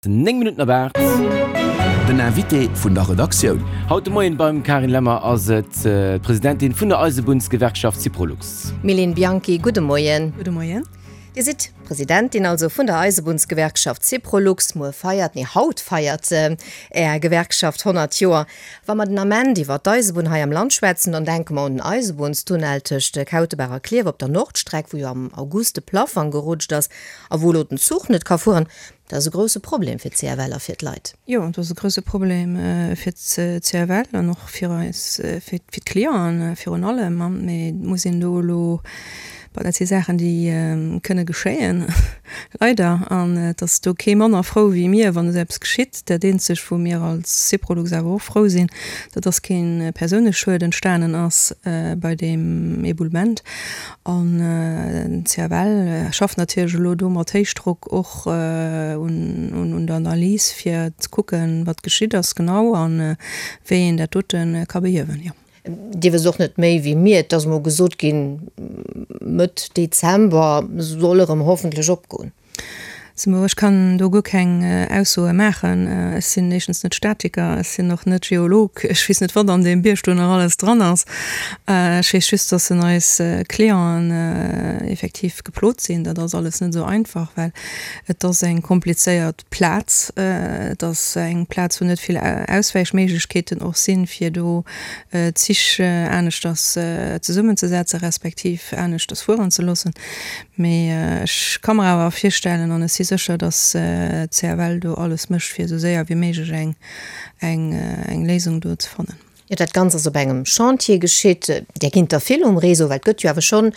9 Minutten op 8. Den Invité vun der Redaktioun. Haut de Moien beim Karin Lemmer ass et d'Presidentin vun der Eisebunnsgewerkschaft Syprolux. Mylène Bianchi, gudde Moien. Gudde Moien. Dir sidd Presidentin also vun der Eisebunnsgewerkschaft Syprolux. Muer feiert, nee haut feiert Är Gewerkschaft 100 Joer. Wa mer den Ament iwwer d'Eisebunn hei am Land schwätzen, dann denke mer un den Eisebunnstunnel tëscht Kautebaach a Klierf op der Nordstreck, wou jo am August de Plaffang gerutscht ass a wou elo den Zuch net ka fueren. Dat ass e grousse Problem fir d'CFL a fir d'Leit. Jo, dat ass e grousse Problem fir d'CFL an och fir eis, fir d'Clienten virun allem. Mee et muss een do elo, bon, dat si Saachen, déi kënne geschéien, leider. An et ass do kee manner frou wéi mir, wann esou eppes geschitt. Dat eenzegt, wou mir als Syprolux awer och frou sinn, dat ass kee Persouneschued entstanen ass bei deem Eboulement. An den CFL schafft natierlech elo do mat Héichdrock och un der Analys, fir ze kucken, wat geschitt ass genau a wéi een dat dote ka behiewen, jo. Dir wësst och net méi wéi mir, et ass emol gesot ginn, Mëtt Dezember soll erëm hoffentlech opgoen. Simo, Ech kann do guer keng Aussoe maachen. Ech sinn éischtens net Statiker, ech sinn och net Geolog, ech weess net, wat an deem Bierg do nach alles dran ass. Ech weess just, dass en eis Clienten effektiv geplot sinn. Dat ass alles net esou einfach, well et ass eng komplizéiert Plaz. Et ass eng Plaz, wou net vill Auswäichméiglechkeeten och sinn, fir do d'Zich aneschters zesummenzesetzen, respektiv aneschters fueren ze loossen. Mee ech ka mer awer virstellen, an ech si sécher, datt d'CFL do alles mécht, fir esou séier wéi méiglech eng, eng Léisung do ze fannen. Jo, dat Ganzt ass op engem Chantier geschitt. Där ginn der vill um Réseau, well et gëtt jo awer schonn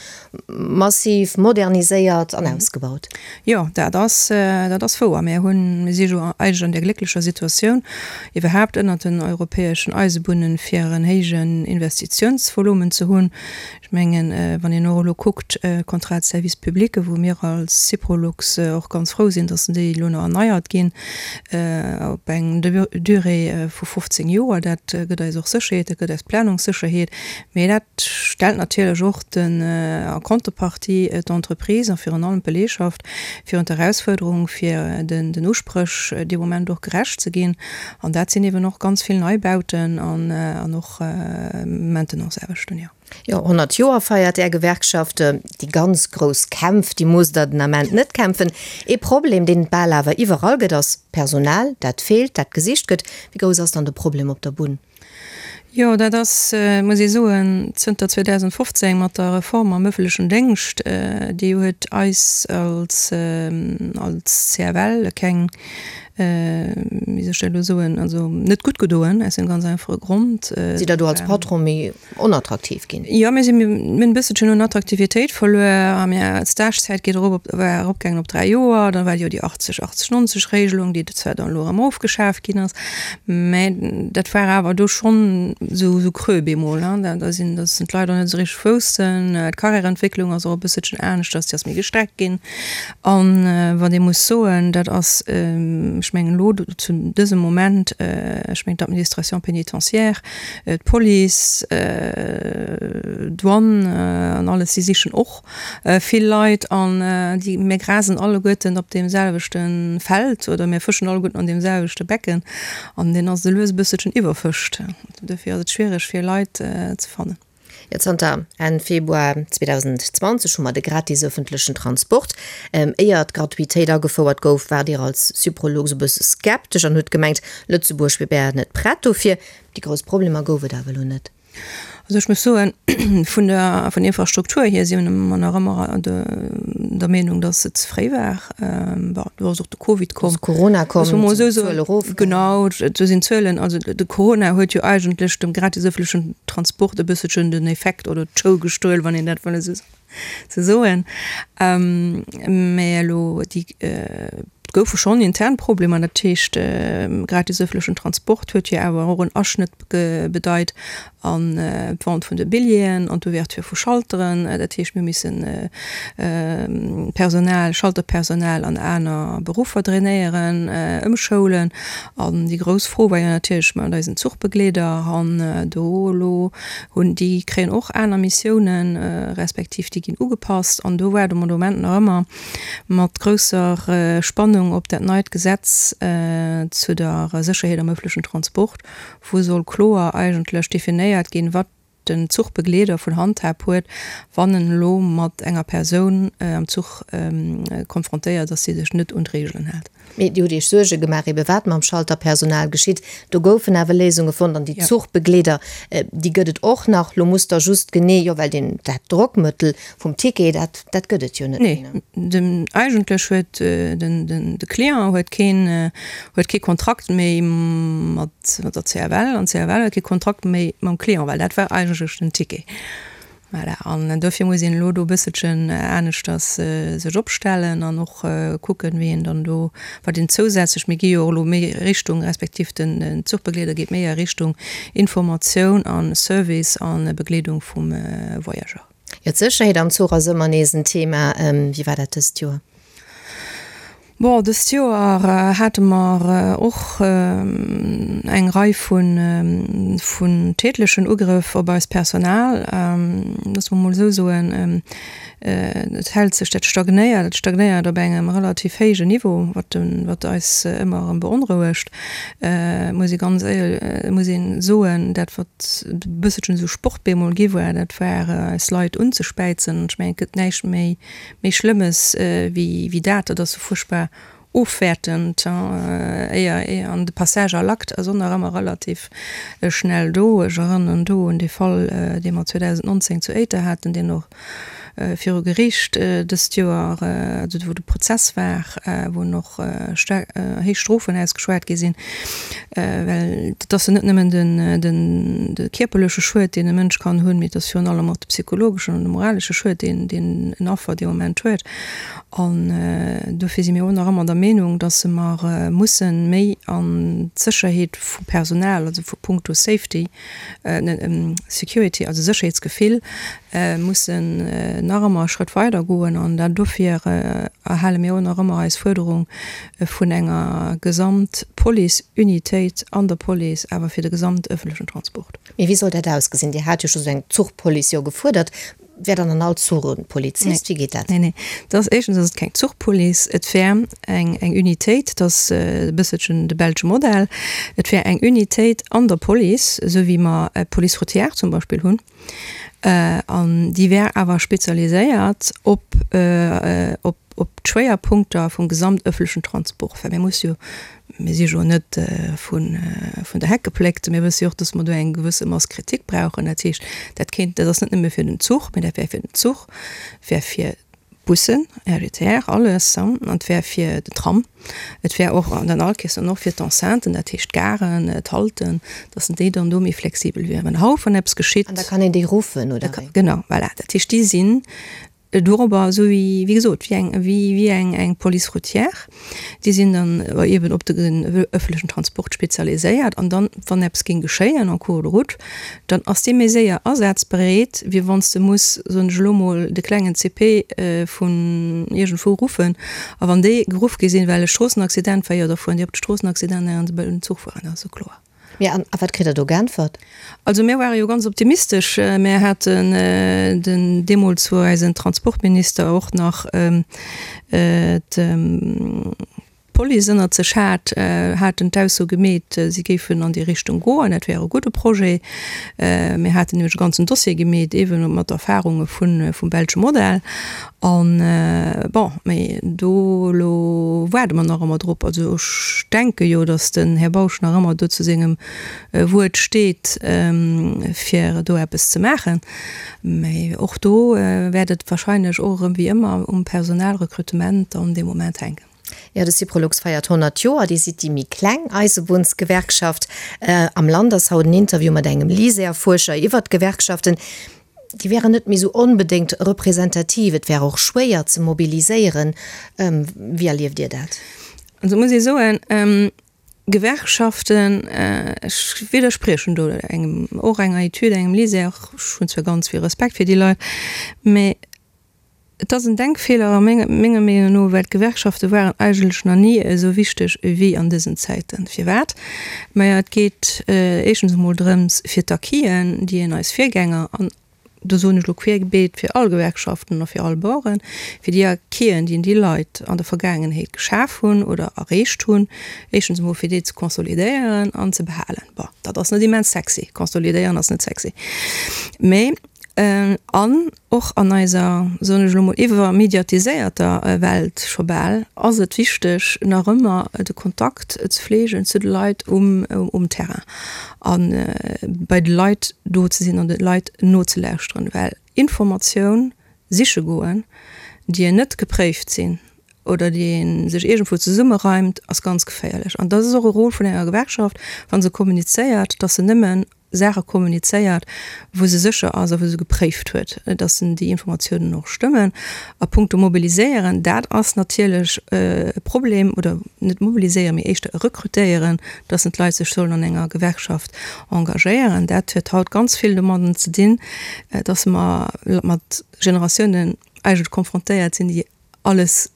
massiv moderniséiert an ausgebaut. Jo, dat ass, dat ass wouer. Mir hunn, mir si jo eigentlech an där glécklecher Situatioun, iwwerhaapt ënnert den europäeschen Eisebunnen, fir en héijen Investitiounsvolumen ze hunn. Ech mengen, wann een och elo kuckt, d'Contrats de service public, wou mir als Syprolux och ganz frou sinn, dass déi elo nach erneiert ginn op eng Durée vu 15 Joer, dat gëtt eis och Sécherheet, dat gëtt eis Planungssécherheet. Mee dat stellt natierlech och den, en contrepartie d'Entreprise a virun allem d'Belegschaft virun d'Erausfuerderung, fir den Uspréch dee Moment och gerecht ze ginn. An dat sinn eeben och ganz vill Neibauten an och Maintenanceaarbechten, jo. Jo, 100 Joer feiert Är Gewerkschaft. Déi ganz grouss Kämpf, déi musst Der den Ament net kämpfen. Ee Problem, deen et bal awer iwwerall gëtt, ass d'Personal, dat feelt, dat gesicht gëtt. Wéi grouss ass dann de Problem op der Bunn? Jo, dat ass, muss ee soen, zënter 2015 mat der Reform am ëffentlechen Déngscht, déi huet eis als, als CFL keng, wéi soll ech dat elo soen, also net gutt gedoen, aus deem ganz einfache Grond. Sidd Der do als Patron méi onattraktiv ginn? Jo, mir sinn, mir hunn e bësselchen un Attraktivitéit verluer a mir, d'Stagezäit geet erop op, war eropgaangen op 3 Joer, da war jo déi 80, 80, 90 Regelung, déi zwar dann elo erëm ofgeschaf ginn ass, mä dat war awer do schonn esou, esou creux bemol, ne, da, da sinn, da sinn d'Leit och net esou richteg woussten, d'Karriärentwécklung ass och e bësselchen aneschters, déi ass méi gestreckt ginn. An wat ee muss soen, dat ass, ech mengen elo zu dësem Moment, ech mengen d'Administration pénitentiaire, d'Police, d'Douane an alles, déi sichen och vill Leit an déi, mir grasen alleguerten op deem selwechte Feld oder mir fëschen alleguerten an deem selwechte Becken an deen ass elo e bësselchen iwwerfëscht. Dofir ass et schwiereg fir Leit ze fannen. Jo, zanter Enn Februar 2020 hu mer de gratis ëffentlechen Transport. Éier d'Gratuitéit agefouert gouf, waart Dir als Syprolux e bësse skeptesch an hutt gemengt, Lëtzebuerg wier bäer net prett dofir. Déi grouss Problemer gouf et awer elo net. Also ech muss soen, vun der vun der Infrastruktur hier si mer nach ëmmer der Meenung, datt et ze fréi war. Bon, do ass och de Covid komm. Ass Corona komm, sinn d'Zuele erof gaangen. Genau, do sinn d'Zuelen, also de Corona huet jo eigentlech dem gratis ëffentlechen Transport e bësselchen den Effekt oder d'Show gestuel, wann een dat wëll esou soen. Mä elo déi, et goufe schonn intern Problemer, dat heescht gratis ëffentlechen Transport huet jo awer och en Aschnëtt bedeit an d'Vente vun de Billjeeën an d'Ouverture vu Schalteren. Dat heescht, mir hu missen Personal, Schalterpersonal an aner Beruffer drainéieren, ëmschoulen. An déi grouss Fro war jo natierlech mat eisen Zuchbegleeder. An do elo hunn déi kréien och aner Missiounen, respektiv déi ginn ugepasst. An do waarde mer de Moment nach ëmmer mat grousser Spannung. Spannung op dat neit Gesetz zu der Sécherheet am ëffentlechen Transport, wou soll kloer eigentlech definéiert ginn, wat den Zuchbegleeder vun Handhab huet, wann en elo mat enger Persoun am Zuch konfrontéiert ass, déi sech net un d'Reegelen hält. Mee Dir hutt Iech Suerge gemaach, ebe wat mam Schalterpersonal geschitt. Do goufen awer Léisunge fonnt an déi Zuchbegleeder, déi gëtt et och nach. Lo musst Der just genee, jo well deen, dat Drockmëttel vum Ticket, dat, dat gëtt et jo net méi, ne? Nee, den, eigentlech huet den, den, de Client huet keen, huet kee Kontrakt méi mat, mat der CFL an d'CFL huet kee Kontrakt méi mam Client, well dat war eigentlech den Ticket. Voilà, an dofir muss een elo do e bësselchen aneschters sech opstellen an och kucken, wéi een dann do, wat een zousätzlech, mir gi jo och elo méi Richtung, respektiv den Zuchbegleeder geet méi a Richtung Informatioun a Service a Begleedung vum Voyageur. Jo, d'Sécherheet am Zuch ass ëmmer nees en Thema. Wéi war dat dëst Joer? Bon, dëst Joer hate mer och eng Rei vun tätlechen Ugrëff op eist Personal. Loosse mer mol esou soen, et hält sech, dat stagnéiert, et stagnéiert op engem relativ héijen Niveau, wat wat eis ëmmer erëm beonrouegt, muss ee ganz éier muss een soen. Dat wat e bësselchen esou Sport bemol gi war, dat war eis Leit unzespäizen. Ech mengen, et gëtt näischt méi Méi Schlëmmes wéi dat, dat ass sou fuerchtbar ofwäertend, éier an de Passage à l'acte ass och nach ëmmer relativ schnell do. Ech erënneren do un dee Fall, dee mer 2019 zu Éiter haten, deen och viru Geriicht dëst Joer, also wou de Prozess war, wou och staark héich Strofen ausgeschwat gi sinn. Well et ass jo net nëmmen den de kierperleche Schued, deen e Mënsch kann hunn, mee et ass virun allem och de psychologeschen an de moralesche Schued, deen deen en Affer dee Moment huet. An dofir si mir och nach ëmmer der Meenung, datt mer mussen méi an d'Sécherheet vum Personal, also vu punkto Safety, Security, also Sécherheetsgefill, mussen nach ëmmer e Schrëtt weider goen. An dat dofir erhale mir och nach ëmmer eis Fuerderung vun enger Gesamtpolice-Unitéit an der Police, awer fir de gesamtëffentlechen Transport. Mee wéi soll dat ausgesinn? Dir hat jo scho sou eng Zuchpolice jo gefuerdert. Wär dann an all Zuch e Polizist? Wéi geet dat? Nee, nee. Dat ass, éischtens ass et keng Zuchpolice, et wär eng, eng Unitéit, dat ass e bësselchen de belsche Modell, et wär eng Unitéit an der Police, esou wéi mer d'Police routière zum Beispill hunn, an déi wär awer spezialiséiert op, op, op d'Schwéierpunkter vum gesamtëffentlechen Transport, well mir musse jo, mir si jo net vun vun der Heck gepléckt, mir wësse jo och, datt mer do eng gewësse Masse critique brauchen. Dat heescht, dat kéint, dat ass net nëmme fir den Zuch, mä dat wär fir den Zuch, wär fir d'Bussen, RGTR, alles, an et wär fir den Tram, et wär och an den all Kees dann och fir d'Enceinten, dat heescht d'Garen, d'Halten, datt déi dann do méi flexibel wieren. Wann haut wann eppes geschitt. An da kann een déi ruffen, oder wéi? Genau, voilà. Dat heescht, déi sinn Dorobber, esou wéi, wéi gesot, wéi eng, wéi, wéi eng, eng Police routière. Déi sinn dann eben op de ëffentlechen Transport spezialiséiert an dann, wann eppes géing geschéien en cours de route, dann ass dee méi séier asazbereet, wéi wann s de muss, soen ech elo mol, de klengen CP vun iergendwou ruffen. A wann déi geruff gi sinn, well e Stroossenaccident war, jo da fueren déi op de Stroossenaccident an de Zuch fueren, dat ass jo kloer. Mee an a wat kritt Der do geäntwert? Also mir ware jo ganz optimistesch. Mir haten den, deemools wou eisen Transportminister och nach d'Police ënnert sech hat, haten d'Ausso gemeet, si géifen an déi Richtung goen, dat wär e gudde Projet. Mir haten nämlech e ganzen Dossier gemeet, eeben mat Erfarunge vum belsche Modell. An, bon, mee do elo waarde mer nach ëmmer drop. Also ech denke jo, datt den Här Bausch nach ëmmer do zu sengem Wuert steet, fir do eppes ze maachen. Mee och do wäert et wahrscheinlech och erëm wéi ëmmer um Personalrekrutement dann dee Moment hänken. Jo, de Syprolux feiert 100 Joer. Dir sidd déi méi kleng Eisebunnsgewerkschaft am Land. Ass haut en Interview mat engem LISER-Fuerscher iwwert d'Gewerkschaften. Déi wären net méi esou onbedéngt representativ. Et wär och schwéier ze mobiliséieren. Wéi erlieft Dir dat? Also muss ee soen, Gewerkschaften, ech widderspriechen do engem, och enger Etüd, engem LISER, ech hunn zwar ganz vill Respekt fir déi Leit, mä Et ass en Denkfeeler a menger Meenung no, well d'Gewerkschafte waren eigentlech nach ni esou wichteg ewéi an dësen Zäiten. Firwat? Maja, et geet éischtens emol drëms, fir d'Acquisen, déi een eis Virgänger an. Do soen ech elo querbeet fir all Gewerkschaften a fir all Baueren, fir déi Acquisen, déi déi Leit an der Vergaangenheet geschaf hunn oder erreecht hunn, éischtens emol fir déi ze konsolidéieren an ze behalen. Bon, dat ass net immens sexy, konsolidéieren ass net sexy, mä an och an eiser, soen ech elo mol, iwwermediatiséierter Welt scho bal, ass et wichteg nach ëmmer de Kontakt ze fleegen zu de Leit um Terrain. A bei de Leit do ze sinn an de Leit nozelauschteren, well Informatioun siche goen, déi een net gepréift sinn oder déi ee sech iergendwou zesummereimt, ass ganz geféierlech. An dat ass och e Rôle vun enger Gewerkschaft, wa se kommunizéiert, dass se nëmmen Saache kommunizéiert, wou se sécher ass a wou se gepréift huet, dass déi Informatiounen och stëmmen. A punkto mobiliséieren, dat ass natierlech e Problem, oder net mobiliséieren, mee éischter rekrutéieren, dass d'Leit sech sollen an enger Gewerkschaft engagéieren. Dat huet haut ganz vill domadden ze dinn, dass mer mat Generatiounen eigentlech konfrontéiert sinn, déi alles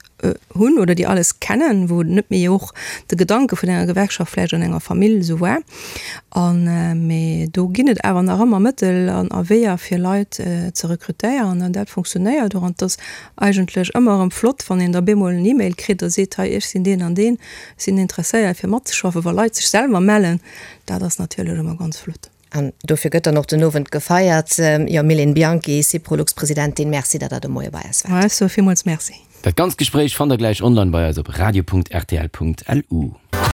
hunn oder déi alles kennen, wou net méi och de Gedanke vun enger Gewerkschaft vläicht an enger Famill esou war. An, mee do ginn et awer nach ëmmer Mëttel an a Weeër fir Leit ze rekrutéieren an dat funktionéiert och. An et ass eigentlech ëmmer erëm flott, wann een da bemol en E-Mail kritt a seet, hei ech sinn deen an deen, ech sinn interesséiert fir matzeschaffen, wa Leit sech selwer mellen, dat ass natierlech ëmmer ganz flott. An dofir gëtt dann och den Owend gefeiert. Jo, Mylène Bianchi, Syprolux-Presidentin, Merci, datt Der de Moie bei eis waart. Ech soe villmools Merci. Dat ganzt Gespréich fannt der gläich online bei eis op radio.rtl.lu.